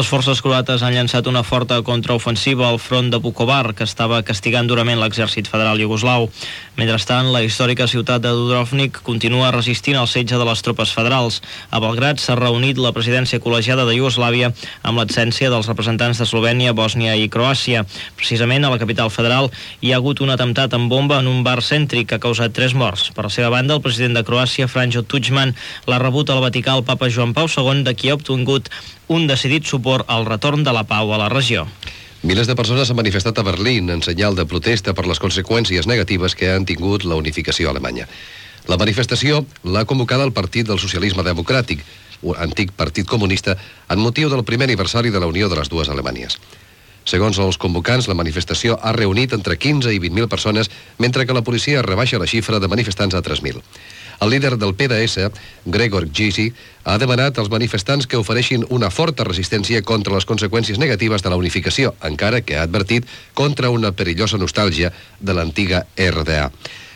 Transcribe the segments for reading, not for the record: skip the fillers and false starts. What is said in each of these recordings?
Les forces croates han llançat una forta contraofensiva al front de Vukovar, que estava castigant durament l'exèrcit federal iugoslau. Mentrestant, la històrica ciutat de Dubrovnik continua resistint al setge de les tropes federals. A Belgrad s'ha reunit la presidència col·legiada de Iugoslàvia amb l'absència dels representants d'Eslovènia, Bòsnia i Croàcia. Precisament a la capital federal hi ha hagut un atemptat amb bomba en un bar cèntric que ha causat 3 morts. Per la seva banda, el president de Croàcia, Franjo Tudjman, l'ha rebut al Vaticà el papa Joan Pau II, de qui ha obtingut un decidit suport al retorn de la pau a la regió. Milers de persones s'han manifestat a Berlín en senyal de protesta per les conseqüències negatives que han tingut la unificació alemanya. La manifestació l'ha convocada el Partit del Socialisme Democràtic, un antic partit comunista, en motiu del primer aniversari de la unió de les dues Alemanyes. Segons els convocants, la manifestació ha reunit entre 15 i 20.000 persones, mentre que la policia rebaixa la xifra de manifestants a 3.000. El líder del PDS, Gregor Gysi, ha demanat als manifestants que ofereixin una forta resistència contra les conseqüències negatives de la unificació, encara que ha advertit contra una perillosa nostàlgia de l'antiga RDA.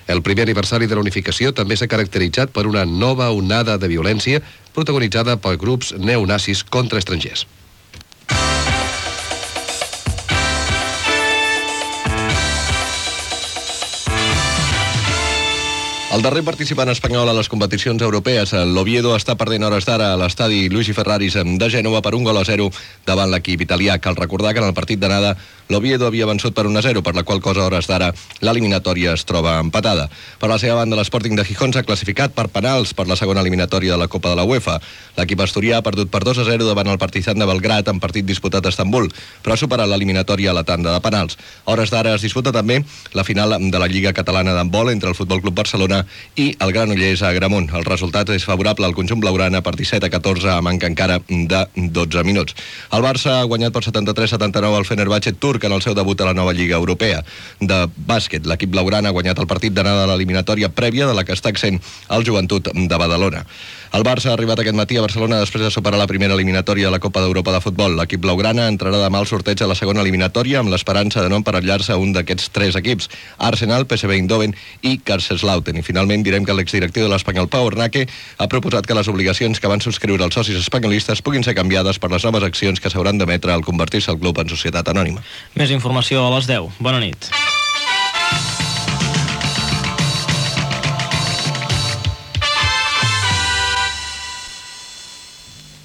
El primer aniversari de la unificació també s'ha caracteritzat per una nova onada de violència protagonitzada per grups neonazis contra estrangers. El darrer participant espanyol a les competicions europees, l'Oviedo, està perdent hores d'ara a l'estadi Luigi Ferraris de Gènova per 1-0 davant l'equip italià. Cal recordar que en el partit d'anada l'Oviedo havia vençut per 1-0, per la qual cosa a hores d'ara l'eliminatòria es troba empatada. Per la seva banda, l'Sporting de Gijón s'ha classificat per penals per la segona eliminatòria de la Copa de la UEFA. L'equip asturià ha perdut per 2-0 davant el Partizan de Belgrad en partit disputat a Estambul, però ha superat l'eliminatòria a la tanda de penals. A hores d'ara es disputa també la final de la Lliga Catalana d'handbol entre el Futbol Club Barcelona i el Granollers a Agramunt. El resultat és favorable al conjunt blaugrana per 17-14 a manca encara de 12 minuts. El Barça ha guanyat per 73-79 el Fenerbahçe turc en el seu debut a la nova Lliga Europea de bàsquet. L'equip blaugrana ha guanyat el partit d'anada de l'eliminatòria prèvia de la que està accent el Joventut de Badalona. El Barça ha arribat aquest matí a Barcelona després de superar la primera eliminatòria de la Copa d'Europa de futbol. L'equip blaugrana entrarà demà al sorteig a la segona eliminatòria amb l'esperança de no emparellar-se a un d'aquests 3 equips: Arsenal, PSV Eindhoven i Kaiserslautern. I finalment direm que l'exdirectiu de l'Espanyol, Pau Ornaque, ha proposat que les obligacions que van subscriure els socis espanyolistes puguin ser canviades per les noves accions que s'hauran d'emetre al convertir-se el club en societat anònima. Més informació a les 10. Bona nit.